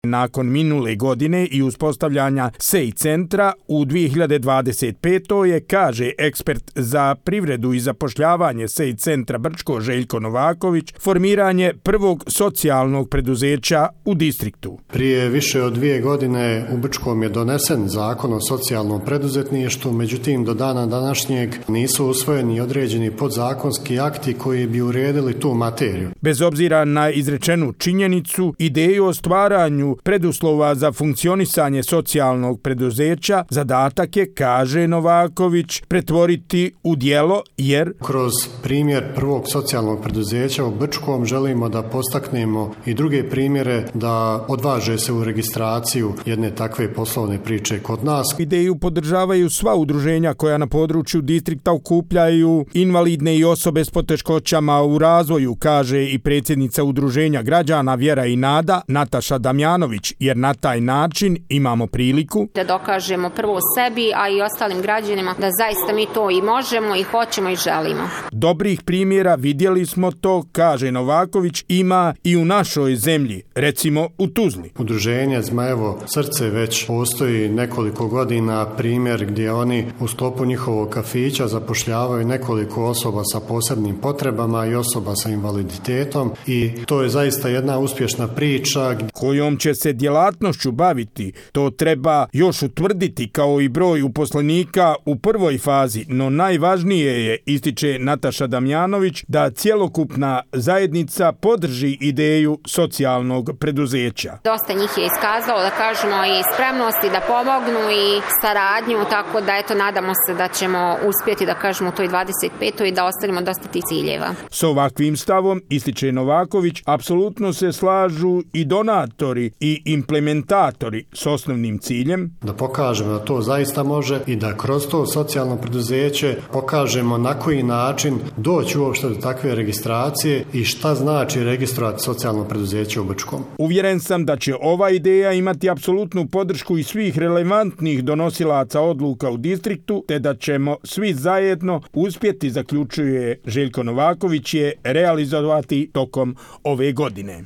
Nakon minule godine i uspostavljanja SEI centra u 2025. je, kaže ekspert za privredu i zapošljavanje SEI centra Brčko Željko Novaković, formiranje prvog socijalnog preduzeća u distriktu. Prije više od 2 godine u Brčkom je donesen zakon o socijalnom preduzetništvu, međutim do dana današnjeg nisu usvojeni određeni podzakonski akti koji bi uredili tu materiju. Bez obzira na izrečenu činjenicu, ideju o stvaranju preduslova za funkcionisanje socijalnog preduzeća zadatak je, kaže Novaković, pretvoriti u djelo jer kroz primjer prvog socijalnog preduzeća u Brčkom želimo da postaknemo i druge primjere da odvaže se u registraciju jedne takve poslovne priče kod nas. Ideju podržavaju sva udruženja koja na području distrikta okupljaju invalidne i osobe s poteškoćama u razvoju, kaže i predsjednica udruženja građana Vjera i Nada Nataša Damjanović, jer na taj način imamo priliku da dokažemo prvo sebi, a i ostalim građanima da zaista mi to i možemo i hoćemo i želimo. Dobrih primjera, vidjeli smo to, kaže Novaković, ima i u našoj zemlji, recimo u Tuzli. Udruženje Zmajevo srce već postoji nekoliko godina, primjer gdje oni u sklopu njihovog kafića zapošljavaju nekoliko osoba sa posebnim potrebama i osoba sa invaliditetom i to je zaista jedna uspješna priča. Kojom će se djelatnošću baviti, to treba još utvrditi kao i broj uposlenika u prvoj fazi, no najvažnije je, ističe Nataša Damjanović, da cjelokupna zajednica podrži ideju socijalnog preduzeća. Dosta njih je iskazalo, da kažemo, i spremnosti da pomognu i saradnju, tako da eto nadamo se da ćemo uspjeti, da kažemo, u toj 25. i da ostvarimo dosta tih ciljeva. S ovakvim stavom, ističe Novaković, apsolutno se slažu i donatori i implementatori s osnovnim ciljem da pokažemo da to zaista može i da kroz to socijalno preduzeće pokažemo na koji način doći uopšte do takve registracije i šta znači registrovati socijalno preduzeće u Brčkom. Uvjeren sam da će ova ideja imati apsolutnu podršku i svih relevantnih donosilaca odluka u distriktu, te da ćemo svi zajedno uspjeti, zaključuje Željko Novaković, je realizovati tokom ove godine.